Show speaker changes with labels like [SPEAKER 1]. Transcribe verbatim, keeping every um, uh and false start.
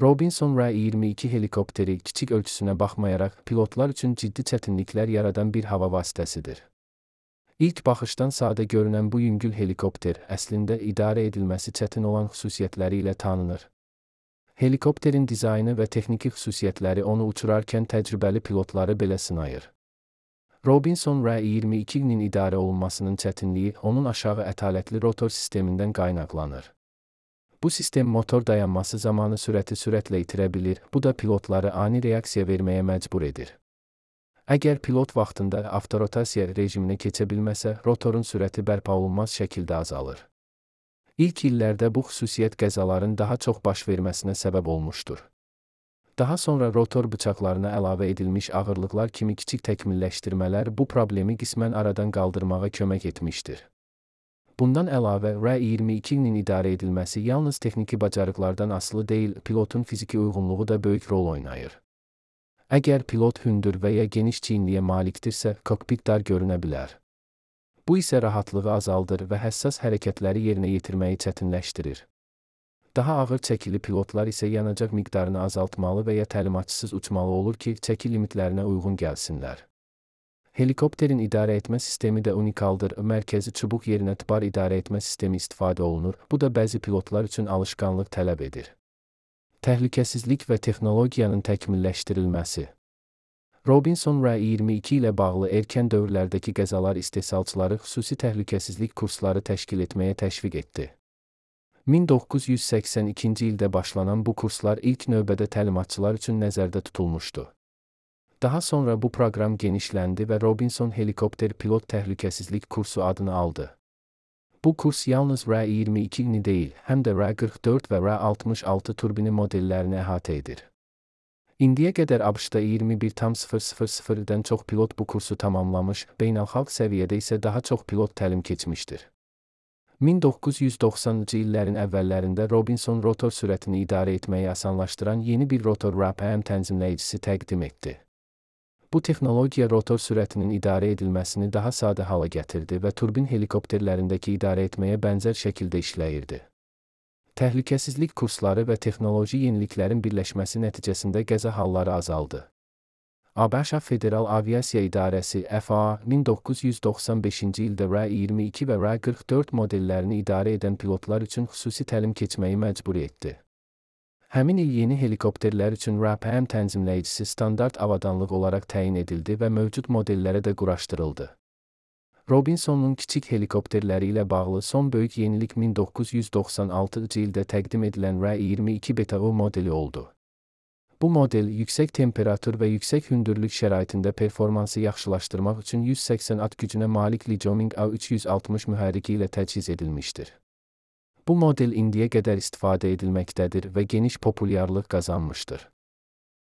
[SPEAKER 1] Robinson R iyirmi iki helikopteri kiçik ölçüsünə baxmayaraq pilotlar üçün ciddi çətinliklər yaradan bir hava vasitəsidir. İlk baxışdan sadə görünən bu yüngül helikopter əslində idarə edilməsi çətin olan xüsusiyyətləri ilə tanınır. Helikopterin dizaynı və texniki xüsusiyyətləri onu uçurarkən təcrübəli pilotları belə sınayır. Robinson R iyirmi ikinin idarə olunmasının çətinliyi onun aşağı ətalətli rotor sistemindən qaynaqlanır. Bu sistem motor dayanması zamanı sürəti sürətlə itirə bilir, bu da pilotları ani reaksiya verməyə məcbur edir. Əgər pilot vaxtında avtorotasiya rejiminə keçə bilməsə, rotorun sürəti bərpa olunmaz şəkildə azalır. İlk illərdə bu xüsusiyyət qəzaların daha çox baş verməsinə səbəb olmuşdur. Daha sonra rotor bıçaqlarına əlavə edilmiş ağırlıqlar kimi kiçik təkmilləşdirmələr bu problemi qismən aradan qaldırmağa kömək etmişdir. Bundan əlavə, R iyirmi ikinin idarə edilməsi yalnız texniki bacarıqlardan asılı deyil, pilotun fiziki uyğunluğu da böyük rol oynayır. Əgər pilot hündür və ya geniş çiyinliyə malikdirsə, kokpit dar görünə bilər. Bu isə rahatlığı azaldır və həssas hərəkətləri yerinə yetirməyi çətinləşdirir. Daha ağır çəkili pilotlar isə yanacaq miqdarını azaltmalı və ya təlimatçısız uçmalı olur ki, çəki limitlərinə uyğun gəlsinlər. Helikopterin idarə etmə sistemi də unikaldır. Mərkəzi çubuq yerinə tıbar idarə etmə sistemi istifadə olunur. Bu da bəzi pilotlar üçün alışqanlıq tələb edir. Təhlükəsizlik və texnologiyanın təkmilləşdirilməsi. Robinson R iyirmi iki ilə bağlı erkən dövrlərdəki qəzalar istehsalçıları xüsusi təhlükəsizlik kursları təşkil etməyə təşviq etdi. min doqquz yüz səksən ikinci ildə başlanan bu kurslar ilk növbədə təlimatçılar üçün nəzərdə tutulmuşdu. Daha sonra bu proqram genişləndi və Robinson helikopter pilot təhlükəsizlik kursu adını aldı. Bu kurs yalnız R iyirmi ikini deyil, həm də R qırx dörd və R altmış altı turbini modellərini əhatə edir. İndiyə qədər ABŞ-da iyirmi bir min dən çox pilot bu kursu tamamlamış, beynəlxalq səviyyədə isə daha çox pilot təlim keçmişdir. min doqquz yüz doxsanıncı illərin əvvəllərində Robinson rotor sürətini idarə etməyi asanlaşdıran yeni bir rotor R P M tənzimləyicisi təqdim etdi. Bu texnologiya rotor sürətinin idarə edilməsini daha sadə hala gətirdi və turbin helikopterlərindəki idarə etməyə bənzər şəkildə işləyirdi. Təhlükəsizlik kursları və texnoloji yeniliklərin birləşməsi nəticəsində qəza halları azaldı. ABŞ Federal Aviasiya İdarəsi F A A min doqquz yüz doxsan beşinci ildə R iyirmi iki və R qırx dörd modellərini idarə edən pilotlar üçün xüsusi təlim keçməyi məcbur etdi. Həmin il yeni helikopterlər üçün R P M tənzimləyicisi standart avadanlıq olaraq təyin edildi və mövcud modellərə də quraşdırıldı. Robinsonun kiçik helikopterləri ilə bağlı son böyük yenilik min doqquz yüz doxsan altıncı ildə təqdim edilən R iyirmi iki Beta U modeli oldu. Bu model yüksək temperatur və yüksək hündürlük şəraitində performansı yaxşılaşdırmaq üçün yüz səksən at gücünə malik Liebherr A üç yüz altmış mühərriki ilə təchiz edilmişdir. Bu model indiyə qədər istifadə edilməkdədir və geniş populyarlıq qazanmışdır.